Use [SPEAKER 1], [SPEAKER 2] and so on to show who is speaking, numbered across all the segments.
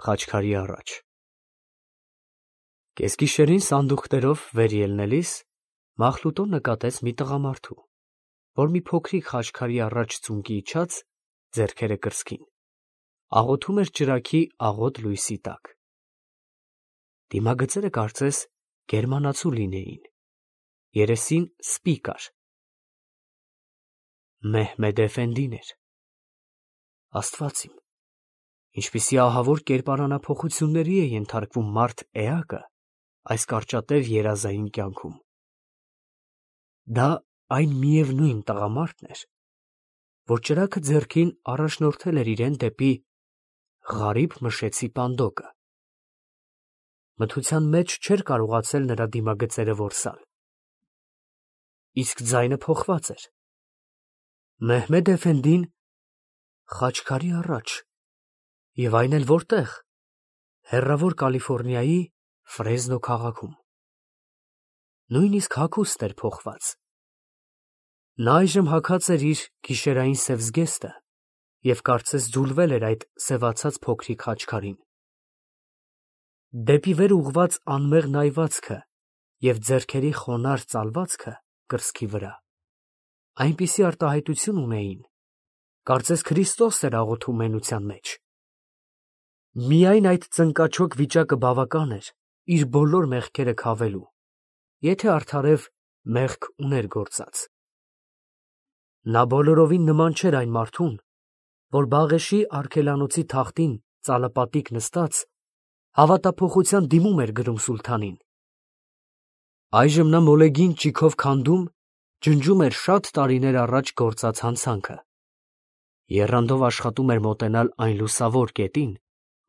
[SPEAKER 1] խաչքարի առաջ։ Կեսգիշերին սանդուղքներով վեր ելնելիս Մախլուտոն նկատեց մի տղամարդու, որ մի փոքրիկ խաչքարի առաջ ծունկի իջած, ձեռքերը կրծքին, աղոթում էր ճրագի աղոտ լույսի տակ։ Դիմագծերը կարծես գերմանացու լինեին, երեսին սպի կար։ Մեհմեդ Էֆենդին էր։ Աստված իմ, ինչպիսի ահավոր կերպարանափոխությունների է ենթարկվում մարդ էակը այս կարճատև երազային կյանքում։ Դա այն միևնույն տղամարդն էր, որ ճրագը ձեռքին առաջնորդել էր իրեն դեպի Ղարիբ Մշեցի պանդոկը։ Մթության մեջ չէր կարողացել նրա դիմագծերը որսալ։ Իսկ ձայնը փոխված էր։ Մեհմեդ Էֆենդին խաչքարի առաջ, և այն էլ որտեղ, հեռավոր Կալիֆոռնիայի Ֆրեզնո քաղաքում։ Նույնիսկ հագուստն էր փոխված։ Նա այժմ հագած էր իր գիշերային սև զգեստը և կարծես ձուլվել էր այդ սևացած փոքրիկ խաչքարին։ Դեպի վեր ուղղված անմեղ նայվածքը և ձեռքերի խոնարհ ծալվածքը կրծքի վրա այնպիսի արտահայտություն ունեին, կարծես Քրիստոս էր աղոթում մենության մեջ։ Միայն այդ ծնկաչոք վիճակը բավական էր իր բոլոր մեղքերը քավելու, եթե արդարև մեղք ուներ գործած։ Նա բոլորովին նման չէր այն մարդուն, որ Բաղեշի արգելանոցի թախտին ծալապատիկ նստած հավատափոխության դիմում էր գրում սուլթանին։ Այժմ նա մոլեգին ճիգով քանդում, ջնջում էր շատ տարիներ առաջ գործած հանցանքը, եռանդով աշխատում էր մոտենալ այն լուսավոր կետին,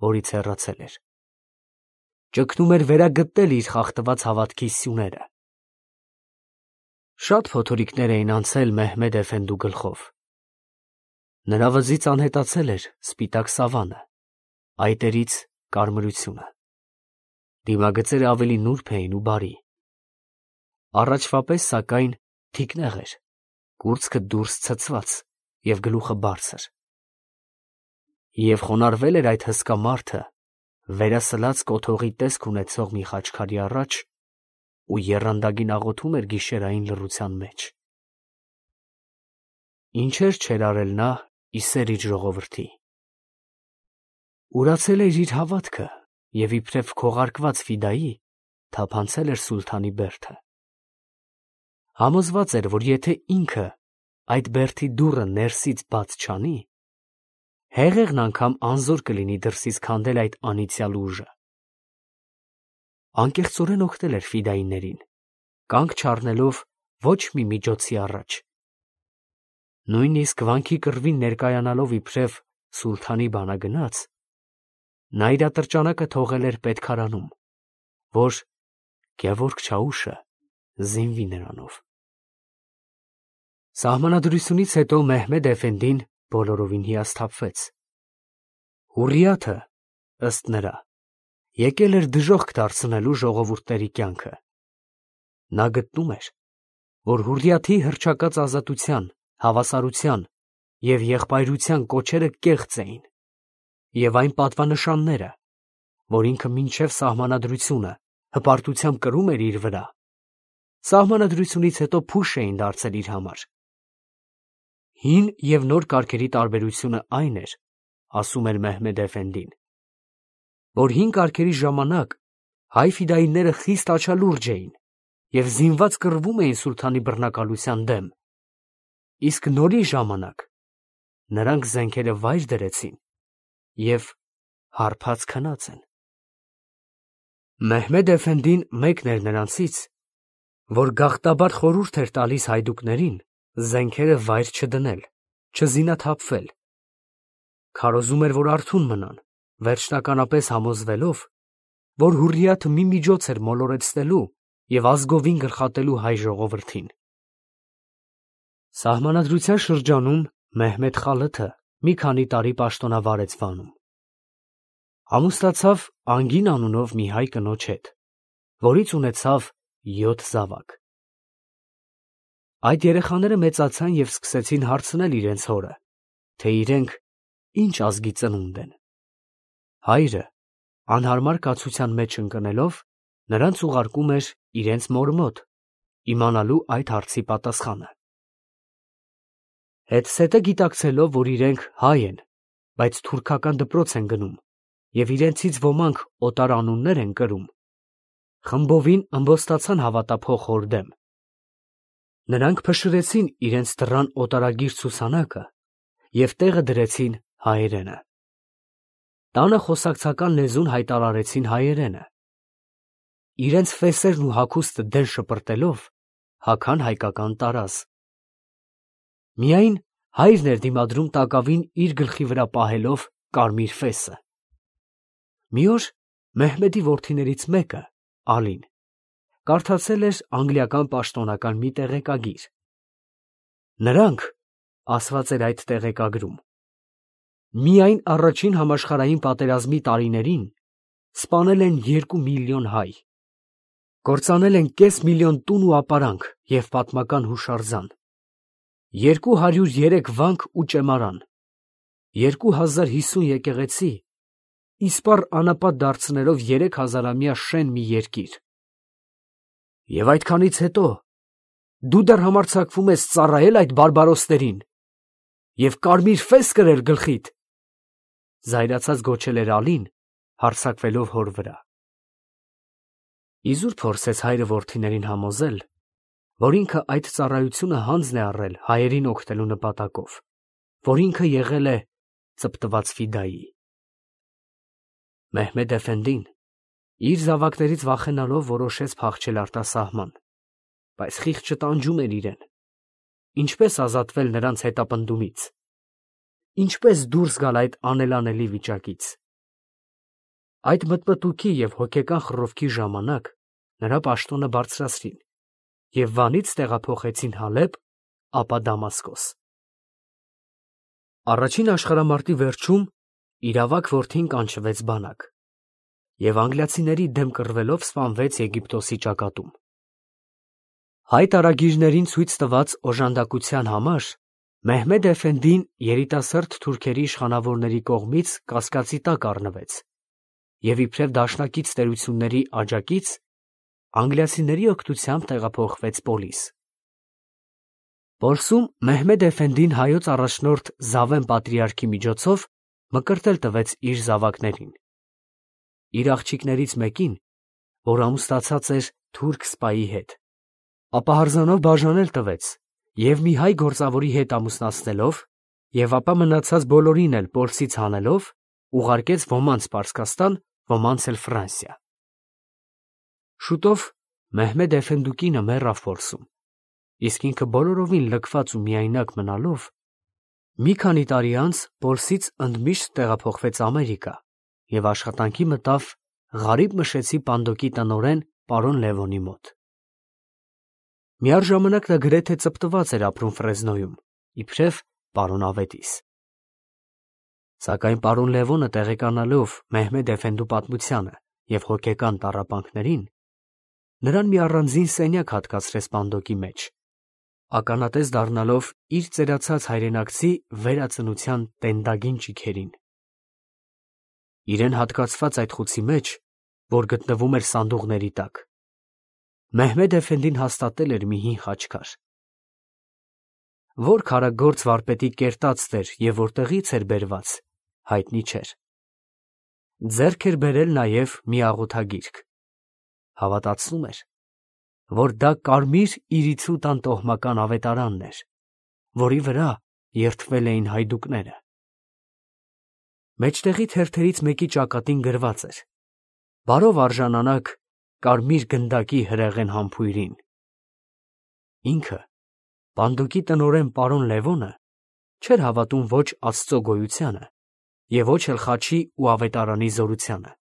[SPEAKER 1] որից հեռացել էր։ Ճգնում էր վերագտնել իր խախտված հավատքի սյուները։ Շատ փոթորիկներ էին անցել Մեհմեդ Էֆենդու գլխով։ Նրա վզից անհետացել էր սպիտակ սավանը, այտերից կարմրությունը։ Դիմագծերը ավելի նուրբ էին ու բարի։ Առաջվա պես, սակայն, թիկնեղ էր, կուրծքը դուրս ցցված և գլուխը բարձր։ Եվ խոնարհվել էր այդ հսկա մարդը վերասլած կոթողի տեսք ունեցող մի խաչքարի առաջ ու եռանդագին աղոթում էր գիշերային լռության մեջ։ Ինչեր չէր արել նա իսեր իր ժողովրդի։ Ուրացել էր իր հավատքը և իբրև քողարկված ֆիդայի թափանցել էր սուլթանի բերդը։ Համոզված էր, որ եթե ինքը այդ բերդի դուռը ներսից բաց չանի, հեղեղն անգամ անզոր կլինի դրսից քանդել այդ անիծյալ ուժը։ Անկեղծորեն օգնել էր ֆիդայիներին, կանգ չառնելով ոչ մի միջոցի առաջ։ Նույնիսկ վանքի կռվին ներկայանալով իբրև սուլթանի բանագնաց, նա իր ատրճանակը թողել էր պետքարանում, որ Գևորգ Չաուշը զինվի նրանով։ Սահմանադրությունից հետո Մեհմեդ Էֆենդին բոլորովին հիասթափվեց։ Հուրիաթը, ըստ նրա, եկել էր դժոխք դարձնելու ժողովուրդների կյանքը։ Նա գտնում էր, որ Հուրիաթի հռչակած ազատության, հավասարության և եղբայրության կոչերը կեղծ էին, և այն պատվանշանները, որ ինքը մինչև սահմանադրությունը հպարտությամբ կրում էր իր վրա, սահմանադրությունից հետո փուշ էին դարձել իր համար։ Հին և նոր կարգերի տարբերությունը այն էր, ասում էր Մեհմեդ Էֆենդին, որ հին կարգերի ժամանակ հայ ֆիդայիները խիստ աչալուրջ էին և զինված կռվում էին սուլթանի բռնակալության դեմ, իսկ նորի ժամանակ նրանք զենքերը վայր դրեցին և հարբած քնած են։ Մեհմեդ Էֆենդին մեկն էր նրանցից, որ գաղտաբար խորհուրդ էր տալիս հայդուկներին զենքերը վայր չդնել, չզինաթափվել։ Քարոզում էր, որ արթուն մնան, վերջնականապես համոզվելով, որ Հուրիաթը մի միջոց էր մոլորեցնելու և ազգովին գլխատելու հայ ժողովրդին։ Սահմանադրության շրջանում Մեհմեդ Խալաթը մի քանի տարի պաշտոնավարեց Վանում։ Ամուսնացավ Անգին անունով մի հայ կնոջ հետ, որից ունեցավ 7 զավակ։ Այդ երեխաները մեծացան և սկսեցին հարցնել իրենց հորը, թե իրենք ինչ ազգի ծնունդ են։ Հայրը անհարմար կացության մեջ ընկնելով, նրանց ուղարկում էր իրենց մոր մոտ, իմանալու այդ հարցի պատասխանը։ Հետզհետե գիտակցելով, որ իրենք հայ են, բայց թուրքական դպրոց են գնում, և իրենցից ոմանք օտար անուններ են կրում, խմբովին ըմբոստացան հավատափող հոր դեմ։ Նրանք փշրեցին իրենց դռան օտարագիր ցուսանակը և տեղը դրեցին հայերենը։ Տանը խոսակցական լեզուն հայտարարեցին հայերենը։ Իրենց ֆեսերն ու հագուստը դեն շպրտելով, հագան հայկական տարազ։ Միայն հայրն էր դիմադրում տակավին իր գլխի վրա պահելով կարմիր ֆեսը։ Մի օր Մեհմեդի որդիներից մեկը, Ալին, կարդացել էր անգլիական պաշտոնական մի տեղեկագիր։ Նրանք, ասված էր այդ տեղեկագրում, միայն առաջին համաշխարհային պատերազմի տարիներին սպանել են 2 միլիոն հայ, կործանել են կես միլիոն տուն ու ապարանք և պատմական հուշարձան, 203 վանք ու ճեմարան, 2050 եկեղեցի, իսպառ անապատ դարձնելով 3000-ամյա շեն մի երկիր։ Եվ այդքանից հետո դու դեռ համարձակվում ես ծառայել այդ բարբարոսներին և կարմիր ֆես կրել գլխիդ, զայրացած գոչել էր Ալին, հարձակվելով հոր վրա։ Իզուր փորձեց հայրը որդիներին համոզել, որ ինքը այդ ծառայությունը հանձն է առել հայերին օգնելու նպատակով, որ ինքը եղել է ծպտված ֆիդայի։ Մեհմեդ էֆենդին իր զավակներից վախենալով որոշեց փախչել արտասահման, բայց խիղճը տանջում էր իրեն։ Ինչպես ազատվել նրանց հետապնդումից, ինչպես դուրս գալ այդ անելանելի վիճակից։ Այդ մտմտուքի և հոգեկան խռովքի ժամանակ նրա պաշտոնը բարձրացրին և Վանից տեղափոխեցին Հալեբ, ապա Դամասկոս։ Առաջին աշխարհամարտի վերջում իր ավագ որդին կանչվեց բանակ և անգլիացիների դեմ կռվելով սպանվեց Եգիպտոսի ճակատում։ Հայ տարագիրներին ցույց տված օժանդակության համար Մեհմեդ էֆենդին երիտասարդ թուրքերի իշխանավորների կողմից կասկածի տակ առնվեց և իբրև դաշնակից տերությունների աջակից անգլիացիների օգնությամբ տեղափոխվեց Պոլիս։ Պոլսում Մեհմեդ էֆենդին հայոց առաջնորդ Զավեն պատրիարքի միջոցով մկրտել տվեց իր զավակներին։ Իր աղջիկներից մեկին, որ ամուսնացած էր թուրք սպայի հետ, ապահարզանով բաժանել տվեց և մի հայ գործավորի հետ ամուսնացնելով և ապա մնացած բոլորին էլ Պոլսից հանելով, ուղարկեց ոմանց Պարսկաստան, ոմանց էլ Ֆրանսիա։ Շուտով Մեհմեդ էֆենդուկինը մեռավ Պոլսում, իսկ ինքը բոլորովին լքված ու միայնակ մնալով, մի քանի տարի անց Պոլսից ընդմիշտ տեղափոխվեց Ամերիկա և աշխատանքի մտավ Ղարիբ Մշեցի Պանդոկի տնօրեն պարոն Լևոնի մոտ։ Միառժամանակ նա գրեթե ծպտված էր ապրում Ֆրեզնոյում, իբրև պարոն Ավետիս։ Սակայն պարոն Լևոնը տեղեկանալով Մեհմեդ էֆենդու պատմությանը և հոգեկան տառապանքներին, նրան մի առանձին սենյակ հատկացրեց Պանդոկի մեջ, ականատես դառնալով իր ծերացած հայրենակցի վերածնության տենդագին ճիգերին։ Իրեն հատկացված այդ խուցի մեջ, որ գտնվում էր սանդուղների տակ, Մեհմեդ էֆենդին հաստատել էր մի հին խաչքար։ Որ քարագործ վարպետի կերտածն էր և որտեղից էր բերված, հայտնի չէր։ Ձեռք էր բերել նաև մի աղոթագիրք, հավատացնում էր, որ դա կարմիր իրիցու տան տոհմական ավետարանն էր, որի վրա երդվել էին հայդուկները։ Մեջտեղի թերթերից մեկի ճակատին գրված էր. «Բարով արժանանաք կարմիր գնդակի հրեղեն համբույրին»։ Ինքը, Պանդոկի տնօրեն պարոն Լևոնը, չէր հավատում ոչ Աստծո գոյությանը և ոչ էլ խաչի ու ավետարանի զորությանը,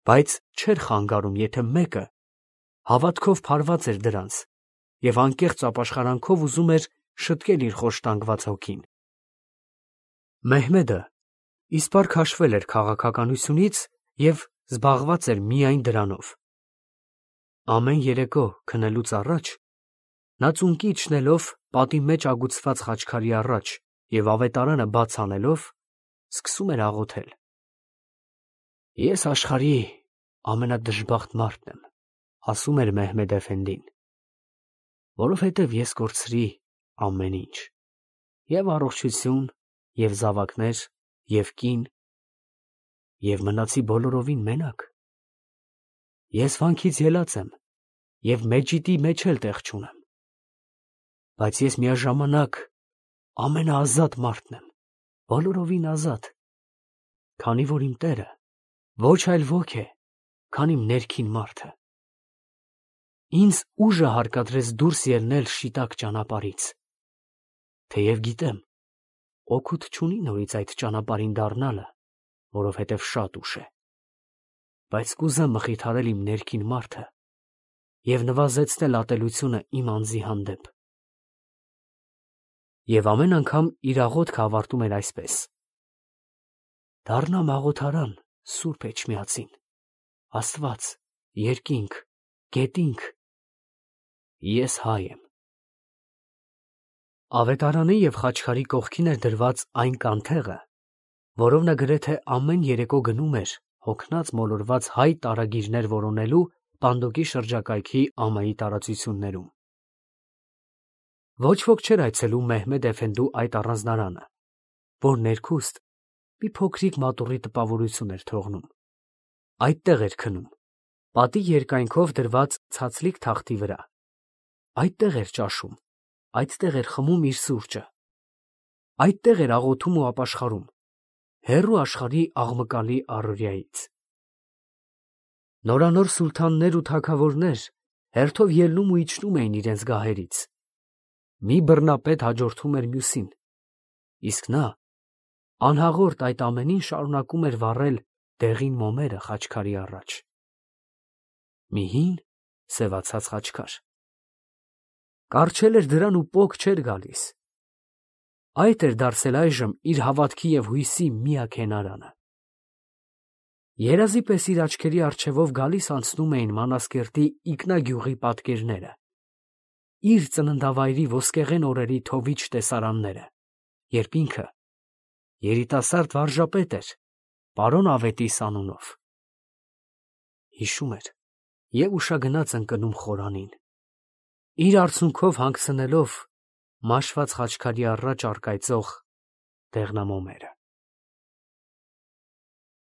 [SPEAKER 1] բայց չէր խանգարում, եթե մեկը հավատքով փարված էր դրանց և անկեղծ ապաշխարանքով ուզում էր շտկել իր խոշտանգված հոգին։ Մեհմեդը իսպառ քաշվել էր քաղաքականությունից և զբաղված էր միայն դրանով։ Ամեն երեկո քնելուց առաջ նա ծունկի իջնելով պատի մեջ ագուցված խաչքարի առաջ և ավետարանը բաց անելով, սկսում էր աղոթել. Ես աշխարհի ամենադժբախտ մարդն եմ, ասում էր Մեհմեդ Էֆենդին, որովհետև ես կորցրի ամեն ինչ, և առողջություն, և զավակներ, և կին, և մնացի բոլորովին մենակ։ Ես վանքից ելած եմ, և մեջիտի մեջ էլ տեղ չունեմ, բայց ես միաժամանակ ամենաազատ մարդն եմ, բոլորովին ազատ, քանի որ իմ Տերը ոչ այլ ոք է, քան իմ ներքին մարդը։ Ինձ ուժը հարկադրեց դուրս ելնել շիտակ ճանապարհից, թեև գիտեմ, օգուտ չունի նորից այդ ճանապարհին դառնալը, որովհետև շատ ուշ է, բայց կուզեմ մխիթարել իմ ներքին մարդը և նվազեցնել ատելությունը իմ անձի հանդեպ։ Եվ ամեն անգամ իր աղոթքը ավարտում էր այսպես. «Դառնամ աղոթարան Սուրբ Էջմիածին, Աստված, երկինք, գետինք, ես հայ եմ»։ Ավետարանի և խաչքարի կողքին էր դրված այն կանթեղը, որով նա գրեթե ամեն երեկո գնում էր հոգնած մոլորված հայ տարագիրներ որոնելու Պանդոկի շրջակայքի ամայի տարածություններում։ Ոչ ոք չէր այցելում Մեհմեդ Էֆենդու այդ առանձնարանը, որ ներքուստ մի փոքրիկ մատուռի տպավորություն էր թողնում։ Այդտեղ էր քնում, պատի երկայնքով դրված ցածլիկ թախտի վրա, այդտեղ էր ճաշում, այդտեղ էր խմում իր սուրճը, այդտեղ էր աղոթում ու ապաշխարում, հեռու աշխարհի աղմկալի առօրյայից։ Նորանոր սուլթաններ ու թագավորներ հերթով ելնում ու իջնում էին իրենց գահերից։ Մի բռնապետ հաջորդում էր մյուսին, իսկ նա անհաղորդ այդ ամենին շարունակում էր վառել դեղին մոմերը խաչքարի առաջ։ Մի հին սևացած խաչքար։ Կառչել էր դրան ու պոկ չէր գալիս։ Այդ էր դարձել այժմ իր հավատքի և հույսի միակ հենարանը։ Երազի պես իր աչքերի առջևով գալիս անցնում էին Մանասկերտի ինքնագյուղի պատկերները, իր ծննդավայրի ոսկեղեն օրերի թովիչ տեսարանները, երբ ինքը երիտասարդ վարժապետ էր, պարոն Ավետիս անունով։ Հիշում էր և ուշագնաց ընկնում խորանին, իր արցունքով հանգցնելով մաշված խաչքարի առաջ առկայծող դեղնամոմերը։